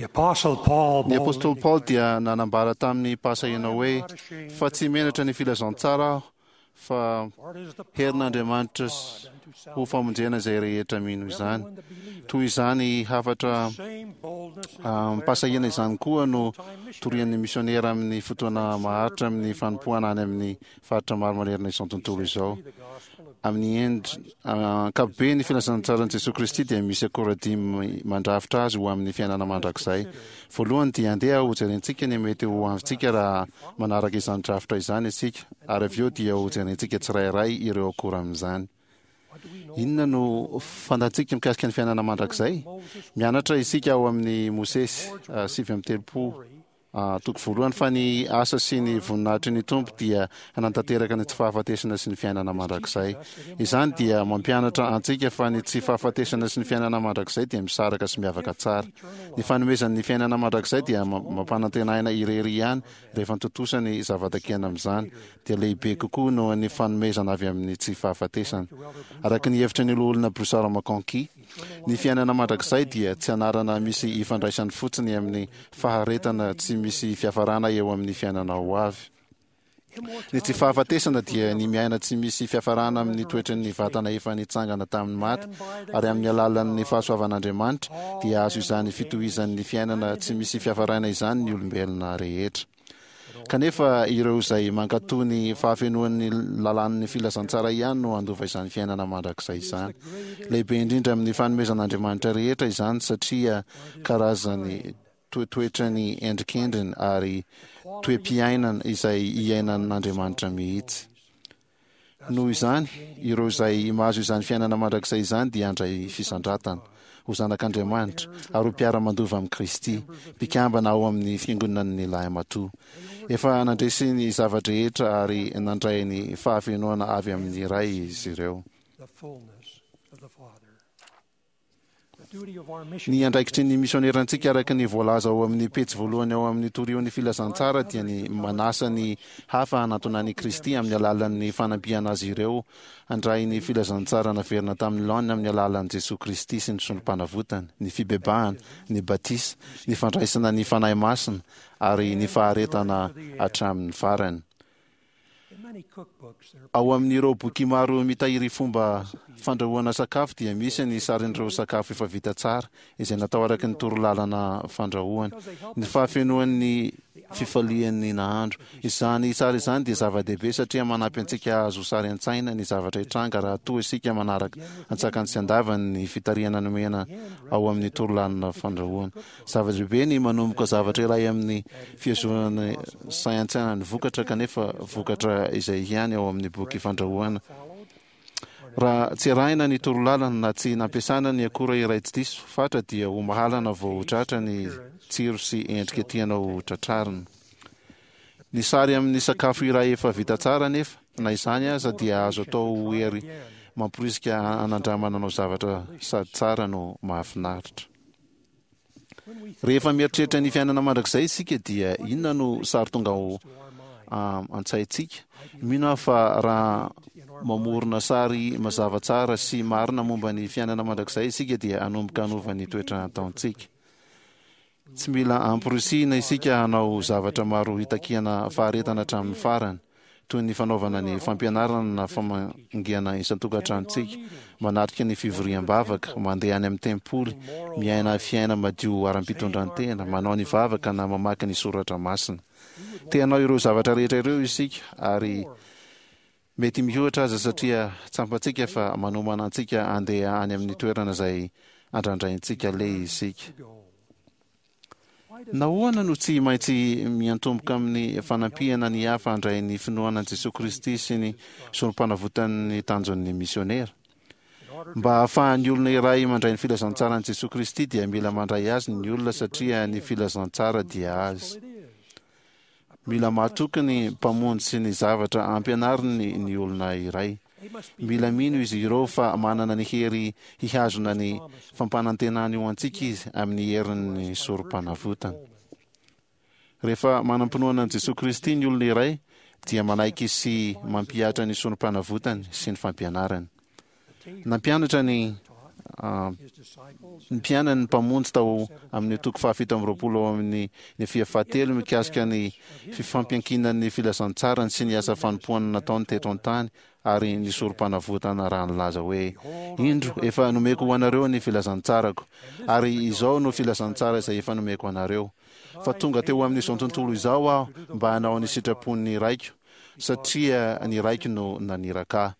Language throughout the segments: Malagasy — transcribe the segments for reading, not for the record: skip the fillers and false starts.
Ny apostoly Paoly dia nanambara tamin'ny pahasahiana hoe, Fa tsy menatra ny filazantsara aho, fa herin'Andriamanitra ho famonjena izay rehetra mino izany. Toy izany hafatra amim-pahasahiana izany koa no torian'ny misionera amin'ny fotoana maharitra amin'ny fanompoana any amin'ny faritra maro manerana izao tontolo izao. Amin'ny endriny ankapobeny, ny filazantsaran'i Jesoa Kristy dia misy akora dimy mandrafitra azy ho amin'ny fiainana mandrakizay. Voalohany dia andeha hojerentsika ny mety ho avintsika raha manaraka izany drafitra izany isika, ary avy eo dia hojerentsika tsirairay ireo akora amin'izany. Inona no fantatsika mikasika ny fiainana mandrakizay? Mianatra isika ao amin'ny Mosesy 39. Toko voalohany fa ny asa sy ny voninahitry ny Tompo dia hanatanteraka ny tsy fahafatesana sy ny fiainana mandrakizay. Izany dia mampianatra antsika fa ny tsy fahafatesana sy ny fiainana mandrakizay dia misaraka sy miavaka tsara. Ny fanomezany ny fiainana mandrakizay dia mampanantenaina irery ihany rehefa tontosa ny zava-takiana amin'izany, dia lehibe kokoa noho ny fanomezana avy amin'ny tsy fahafatesana. Araka ny hevitry ny Loholona Broussard McConkie, Ny fiainana mandrakizay dia tsy anarana misy ifandraisany fotsiny amin'ny faharetana tsy misy fiafarana eo amin'ny fiainana ho avy. Ny tsy fahafatesana dia ny miaina tsy misy fiafarana amin'ny toetran'ny vatana efa nitsangana tamin'ny maty, ary amin'ny alalan'ny fahasoavan'Andriamanitra dia azo izany fitohizan'ny fiainana tsy misy fiafarana izany ny olombelona rehetra. Kanefa ireo izay mankatò ny fahafenoan'ny lalàn'ny filazantsara ihany no handova izany fiainana mandrakizay izany. Lehibe indrindra amin'ny fanomezan'Andriamanitra rehetra izany satria karazany toetoetrany endrikendriny ary toe-piainana izay iainan'Andriamanitra mihitsy. Noho izany, ireo izay mahazo izany fiainana mandrakizay izany dia handray fisandratana, ho zanak'Andriamanitra, ary ho mpiara-mandova amin'i Kristy, mpikambana ao amin'ny Fiangonan'ny Lahimatoa. Efa nandresy ny zava-drehetra ary nandray ny fahafenoana avy amin'ny Ray izy ireo. Ny andraikitry ny misionerantsika araka ny voalaza ao amin'ny pejy voalohany ao amin'ny Torio ny Filazantsara dia ny manasa ny hafa hanatona an'i Kristy amin'ny alalan'ny fanampiana azy ireo handray ny filazantsara naverina tamin'ny laoniny amin'ny alalan'i Jesoa Kristy sy ny Sorompanavotany, ny fibebahana, ny batisa, ny fandraisana ny Fanahy Masina ary ny faharetana hatramin'ny farany. Ao amin'ireo boky maro mitahiry fomba fandrahoana sakafo dia misy ny sarin'ireo sakafo efa vita tsara izay natao araka ny torolalana fandrahoana. Ny fahafenoan'ny fifalian'ny nahandro. Izany sary izany dia zava-dehibe satria manampy antsika hahazo sary an-tsaina ny zavatra hitranga raha toa isika manaraka an-tsakany sy an-davany ny fitarihana nomena ao amin'ny torolalana fandrahoana. Zava-dehibe ny manomboka zavatra iray amin'ny fihazonana sahy an-tsaina ny vokatra kanefa vokatra izay ihany ao amin'ny boky fandrahoana. Raha tsy arahina ny torolalana na tsy nampiasana ny akora iray tsy diso fatra dia ho mahalana vao ho tratra ny tsiro sy endrika tianao ho tratrarina. Ny sary amin'ny sakafo iray efa vita tsara anefa, na izany aza, dia azo atao ho hery mamporisika hanandramana hanao zavatra sady tsara no mahafinaritra. Rehefa mieritreritra ny fiainana mandrakizay isika dia inona no sary tonga ao an-tsaintsika? Mino aho fa raha mamorona sary mazava tsara sy marina momba ny fiainana mandrakizay isika dia hanomboka hanova ny toetra ataontsika. Tsy mila amporisihina isika hanao zavatra maro hitakiana faharetana hatramin'ny farany. toy ny fanaovana ny fampianarana na famangiana isan-tokantranontsika, manatrika ny fivoriam-bavaka, mandeha any amin'ny tempoly, miaina fiaina madio ara-pitondran-tena, manao ny vavaka na mamaky ny soratra masina. Te hanao ireo zavatra rehetra ireo isika ary mety mihoatra aza satria tsampantsika fa manomana antsika handeha any amin'ny toerana izay andrandraintsika aleha isika. Nahoana no tsy maintsy miantomboka amin'ny fanampiana ny hafa handray ny finoana an'i Jesoa Kristy sy ny Sorompanavotany ny tanjon'ny misiônera? Mba hahafahan'ny olona iray mandray ny filazantsaran'i Jesoa Kristy dia mila mandray Azy ny olona satria ny filazantsara dia Azy. Mila matoky ny Mpamonjy sy ny zavatra ampianariny ny olona iray. Mila mino izy ireo fa manana ny hery hihazona ny fampanantenany ho antsika Izy amin'ny herin'ny Sorompanavotany. Rehefa manam-pinoana an'i Jesoa Kristy ny olona iray dia manaiky sy mampihatra ny Sorompanavotany sy ny fampianarany. Nampianatra ny. ny mpianany ny Mpamonjy tao amin'ny toko fahafito amby roapolo ao amin'ny Nefia fahatelo mikasika ny fifampiankinan'ny filazantsarany sy ny asa fanompoana nataony teto an-tany ary ny sorompanavotana raha nilaza hoe, Indro, efa nomeko ho anareo ny filazantsarako, ary izao no filazantsara izay efa nomeko anareo, fa tonga teo amin'izao tontolo izao Aho mba hanao ny sitrapon'ny Raiko, satria ny Raiko no naniraka Ahy.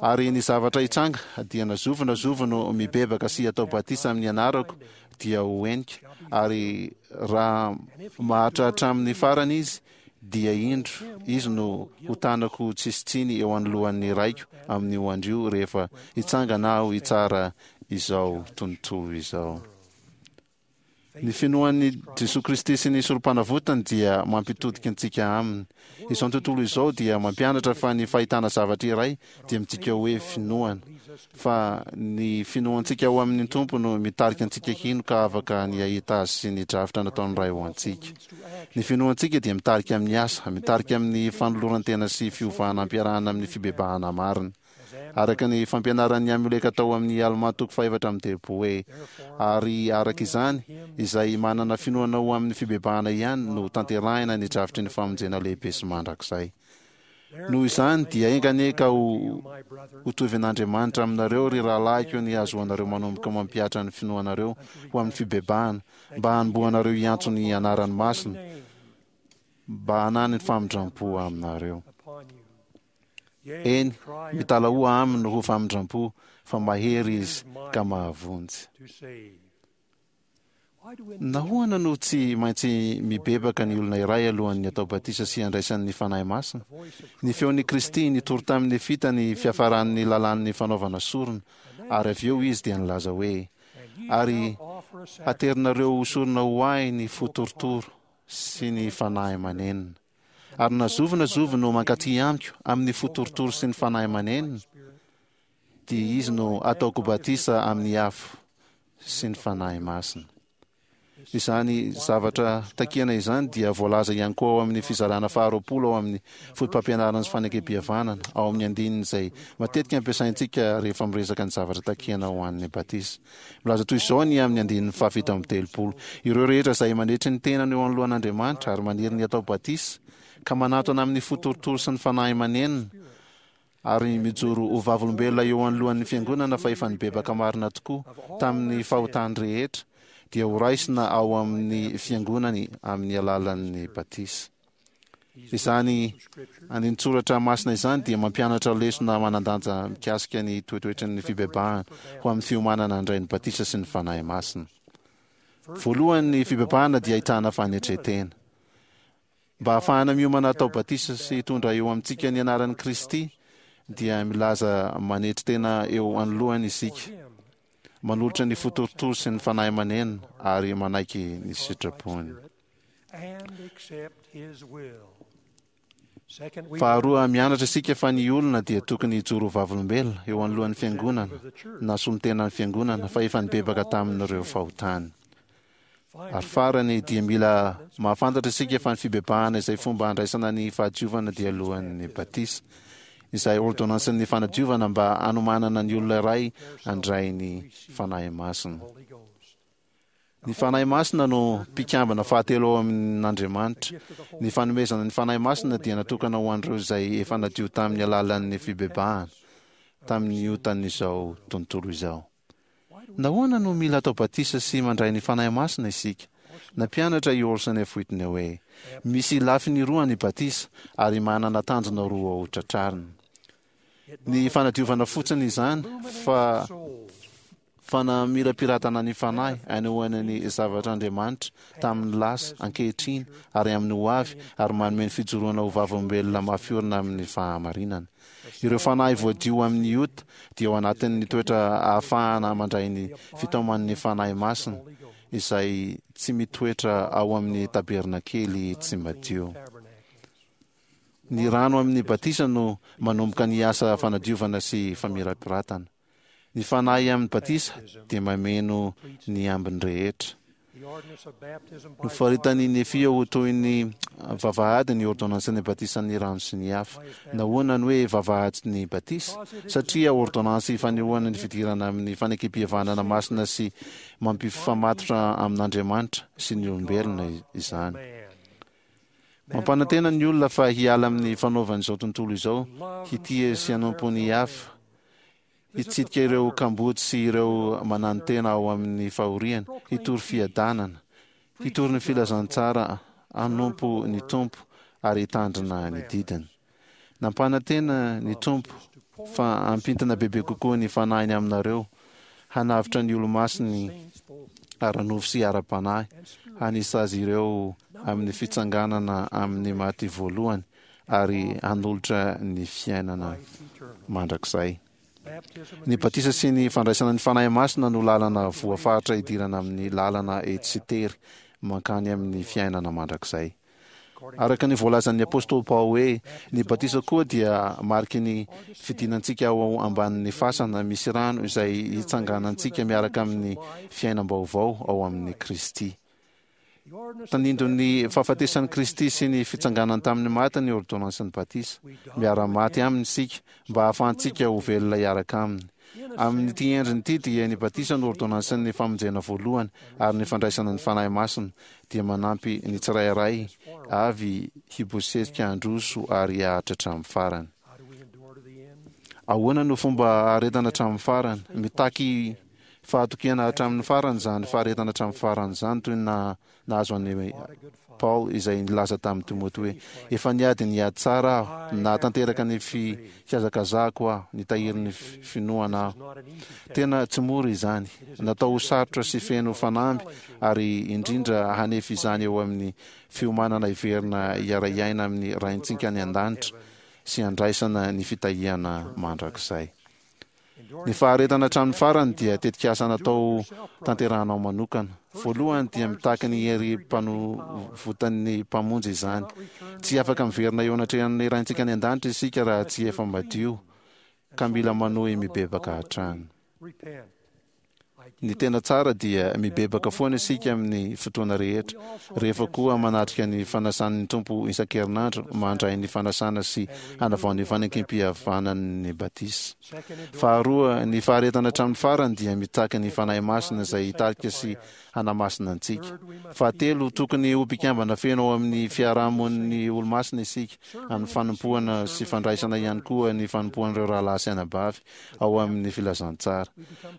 Ary ny zavatra hitranga, dia na zovy na zovy no mibebaka sy atao batisa amin'ny anarako dia ho henika, ary raha maharitra hatramin'ny farany izy, dia indro, izy no ho tanako tsisy tsiny eo anoloan'ny Raiko amin'io andro io rehefa hitsangana Aho hitsara izao tontolo izao. Ny finoan'i Jesoa Kristy sy ny Sorompanavotany dia mampitodika antsika Aminy. Izao tontolo izao dia mampianatra fa ny fahitana zavatra iray dia midika hoe finoana. Fa ny finoantsika ao amin'ny Tompo no mitarika antsika hino ka afaka ny hahita Azy sy ny drafitra nataon'ny Ray ho antsika. Ny finoantsika dia mitarika amin'ny asa, mitarika amin'ny fanoloran-tena sy fiovana ampiarahana amin'ny fibebahana marina. Araka ny fampianaran'i Amioleka tao amin'ny Almà toko fahefatra amby telopolo hoe, Ary araka izany, izay manana finoana ho amin'ny fibebahana ihany no tanterahina ny drafitry ny famonjena lehibe sy mandrakizay. Noho izany, dia enga anie ka ho hotovin'Andriamanitra aminareo, ry rahalahiko, ny hahazoanareo manomboka mampihatra ny finoanareo ho amin'ny fibebahana, mba hanombohanareo hiantso ny anarany masina, mba hanany famindram-po aminareo. Eny, mitalahoa aminy ho famindram-po, fa mahery izy ka mahavonjy. Nahoana no tsy maintsy mibebaka ny olona iray alohan'ny atao batisa sy handraisany ny Fanahy Masina? Ny feon'i Kristy nitory tamin'ny Nefita ny fiafaran'ny lalàn'ny fanaovana sorona, ary avy eo Izy dia nilaza hoe, Ary haterinareo ho sorona ho Ahy ny fo torotoro sy ny fanahy manenina. Ary na zovy na zovy no mankaty Amiko amin'ny fo torotoro sy ny fanahy manenina, dia izy no ataoko batisa amin'ny afo sy ny Fanahy Masina. Izany zavatra takiana izany dia voalaza ihany koa ao amin'ny fizarana faharoapolo ao amin'ny Fotopampianarana sy Fanekempihavanana, ao amin'ny andininy izay matetika ampiasaintsika rehefa miresaka ny zavatra takiana ho an'ny batisa. Milaza toy izao ny amin'ny andininy fahafito amby telopolo, Ireo rehetra izay manetry ny tenany eo anoloan'Andriamanitra ary maniry ny hatao batisa, ka manatona amin'ny fo torotoro sy ny fanahy manenina, ary mijoro ho vavolombelona eo anoloan'ny Fiangonana fa efa nibebaka marina tokoa tamin'ny fahotany rehetra, dia horaisina ao amin'ny Fiangonany amin'ny alalan'ny batisa. Izany andinin-tsoratra masina izany dia mampianatra lesona manan-danja mikasika ny toetoetry ny fibebahana ho amin'ny fiomanana handray ny batisa sy ny Fanahy Masina. Voalohany, ny fibebahana dia ahitana fanetren-tena. Mba hahafahana miomana hatao batisa sy hitondra eo amintsika ny anaran'i Kristy, dia milaza manetry tena eo anoloany isika, manolotra ny fo torotoro sy ny fanahy manena ary manaiky ny sitrapony. Faharoa, mianatra isika fa ny olona dia tokony hijoro ho vavolombelona eo anoloan'ny fiangonana na solontenan'ny fiangonana fa efa nibebaka tamin'ireo fahotany. Ary farany, dia mila mahafantatra isika fa ny fibebahana izay fomba handraisana ny fahadiovana dia alohan'ny batisa, izay ôrdônansin'ny fanadiovana mba hanomanana ny olona iray handray ny Fanahy Masina. Ny Fanahy Masina no mpikambana fahatelo ao amin'Andriamanitra. Ny fanomezana ny Fanahy Masina dia natokana ho an'ireo izay efa nadio tamin'ny alalan'ny fibebahana tamin'ny otan'izao tontolo izao. Nahoana no mila atao batisa sy mandray ny Fanahy Masina isika? Nampianatra i Orson F. Whitney hoe, Misy lafiny roa ny batisa, ary manana tanjona roa ho tratrarina. Ny fanadiovana fotsiny izany, fa fanamirapiratana ny fanahy anehoana ny zavatr'Andriamanitra tamin'ny lasa, ankehitriny, ary amin'ny ho avy, ary manome ny fijoroana ho vavolombelona mafy orina amin'ny fahamarinana. Ireo fanahy voadio amin'ny ota dia ao anatin'ny toetra ahafahana mandray ny fitaoman'ny Fanahy Masina, izay tsy mitoetra ao amin'ny tabernakely tsy madio. Ny rano amin'ny batisa no manomboka ny asa fanadiovana sy famirapiratana. Ny Fanahy amin'ny batisa dia mameno ny ambiny rehetra. Nofaritan'i Nefia ho toy ny vavahady ny ôrdônansin'ny batisan'ny rano sy ny afo. Nahoana no hoe vavahady ny batisa? Satria ôrdônansy fanehoana ny fidirana amin'ny fanekempihavanana masina sy mampifamatotra amin'Andriamanitra sy ny olombelona izany. Mampanantena ny olona fa hiala amin'ny fanaovan'izao tontolo izao, hitia sy hanompo ny hafa, hitsidika ireo kamboty sy ireo mananotena ao amin'ny fahoriana, hitory fiadanana, hitory ny filazantsara, hanompo ny Tompo ary hitandrina ny didiny. Nampanantena ny Tompo fa hampintina bebe kokoa ny Fanahiny aminareo, hanavotra ny Olomasiny ara-nofo sy ara-panahy, hanisa azy ireo amin'ny fitsanganana amin'ny maty voalohany, ary hanolotra ny fiainana mandrakizay. Ny batisa sy ny fandraisana ny Fanahy Masina no lalana voafaritra hidirana amin'ny lalana etsy sy tery mankany amin'ny fiainana mandrakizay. Araka ny voalazan'ny apostoly Paoly hoe, ny batisa koa dia mariky ny fidinantsika ao ambanin'ny fasana misy rano izay hitsanganantsika miaraka amin'ny fiainam-baovao ao amin'i Kristy. Tandindon'ny fahafatesan'i Kristy sy ny fitsanganany tamin'ny maty ny ôrdônansin'ny batisa. Miara-maty Aminy isika mba hahafahantsika ho velona hiaraka Aminy. Amin'ity endriny ity dia ny batisa no ôrdônansin'ny famonjena voalohany ary ny fandraisana ny Fanahy Masina dia manampy ny tsirairay avy hibosesika handroso ary haharitra hatramin'ny farany. Ahoana no fomba haharetana hatramin'ny farany? Mitaky Fahatokiana hatramin'ny farany izany faharetana hatramin'ny farany izany, toy ny nahazo an'i Paoly izay nilaza tamin'i Timoty hoe, Efa niady ny ady tsara aho, nahatanteraka ny fihazakazahako aho, nitahiry ny finoana aho. Tena tsy mora izany. Natao ho sarotra sy feno fanamby ary indrindra hanefy izany eo amin'ny fiomanana hiverina hiara-hiaina amin'ny Raintsika any An-danitra sy handraisana ny fitahiana mandrakizay. Ny faharetana hatramin'ny farany dia tetikasa natao tanterahanao manokana. Voalohany dia mitaky ny herim-panovotan'ny Mpamonjy izany. Tsy afaka miverina eo anatrehan'ny Raintsika any An-danitra isika raha tsy efa madio, ka mila manohy mibebaka hatrany. Ny tena tsara dia mibebaka foana isika amin'ny fotoana rehetra, rehefa koa manatrika ny fanasan'ny Tompo isan-kerinandro, mandray ny fanasana sy hanavao ny fanekempihavanan'ny batisa. Faharoa, ny faharetana hatramin'ny farany dia mitaky ny Fanahy Masina izay hitarika sy hanamasina antsika. Fahatelo, tokony ho mpikambana feno ao amin'ny fiarahamonin'ny Olomasina isika, amin'ny fanompoana sy fandraisana ihany koa ny fanompoan'ireo rahalahy sy anabavy ao amin' ny filazantsara.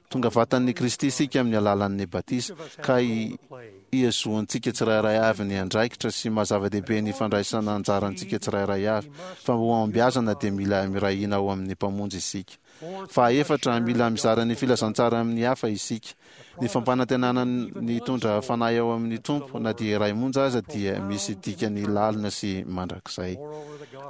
Tonga vatan' i Kristy isika amin' ny alalan' ny batisa, ka ihazoantsika tsirairay avy ny andraikitra sy maha zava-dehibe ny fandraisana anjarantsika tsirairay avy, fa mba ho hahombiazana dia mila miray hina ao amin' ny Mpamonjy isika. Fahaefatra, mila mizara ny filazantsara amin' ny hafa isika. Ny fampanantenana ny hitondra fanahy ao amin'ny Tompo, na dia iray monja aza, dia misy dikany lalina sy mandrakizay.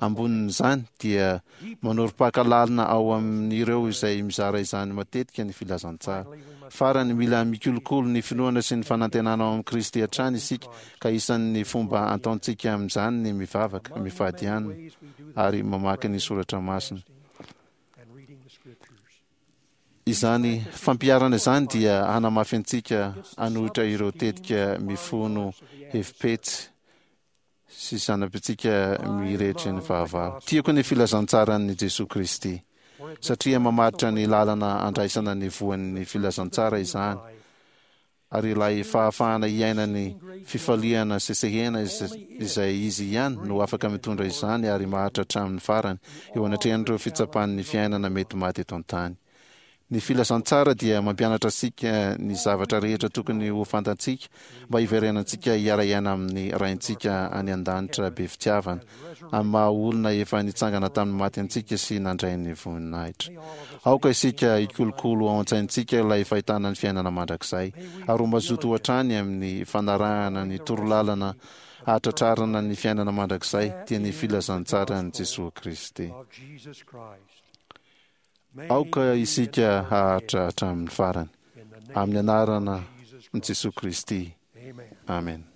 Ambonin'izany, dia manorim-paka lalina ao amin'ireo izay mizara izany matetika ny filazantsara. Farany, mila mikolokolo ny finoana sy ny fanantenana ao amin'i Kristy hatrany isika, ka isan'ny fomba ataontsika amin'izany ny mivavaka, mifady hanina, ary mamaky ny soratra masina. Izany fampiharana izany dia hanamafy antsika hanohitra ireo tetika mifono hevi-petsy sy zana-pitsika mirehetry ny fahavalo. Tiako ny filazantsaran'i Jesoa Kristy, satria mamaritra ny lalana andraisana ny voan'ny filazantsara izany. ary ilay fahafahana hiaina ny fifaliana sesehena izay izy ihany no afaka mitondra izany ary maharitra hatramin'ny farany eo anatrehan'ireo fitsapan'ny fiainana mety maty eto an-tany. Ny filazantsara dia mampianatra antsika ny zavatra rehetra tokony ho fantantsika mba hiverenantsika hiara-hiaina amin'ny Raintsika any An-danitra be fitiavana, amin'ny maha-olona efa nitsangana tamin'ny maty antsika sy nandray ny voninahitra. Aoka isika hikolokolo ao an-tsaintsika ilay fahitana ny fiainana mandrakizay, ary ho mazoto hatrany amin'ny fanarahana ny torolalana hahatratrarana ny fiainana mandrakizay, dia ny filazantsaran'i Jesoa Kristy. Aoka isika haharitra hatramin'ny farany. Amin'ny anaran'i Jesoa Kristy. Amena.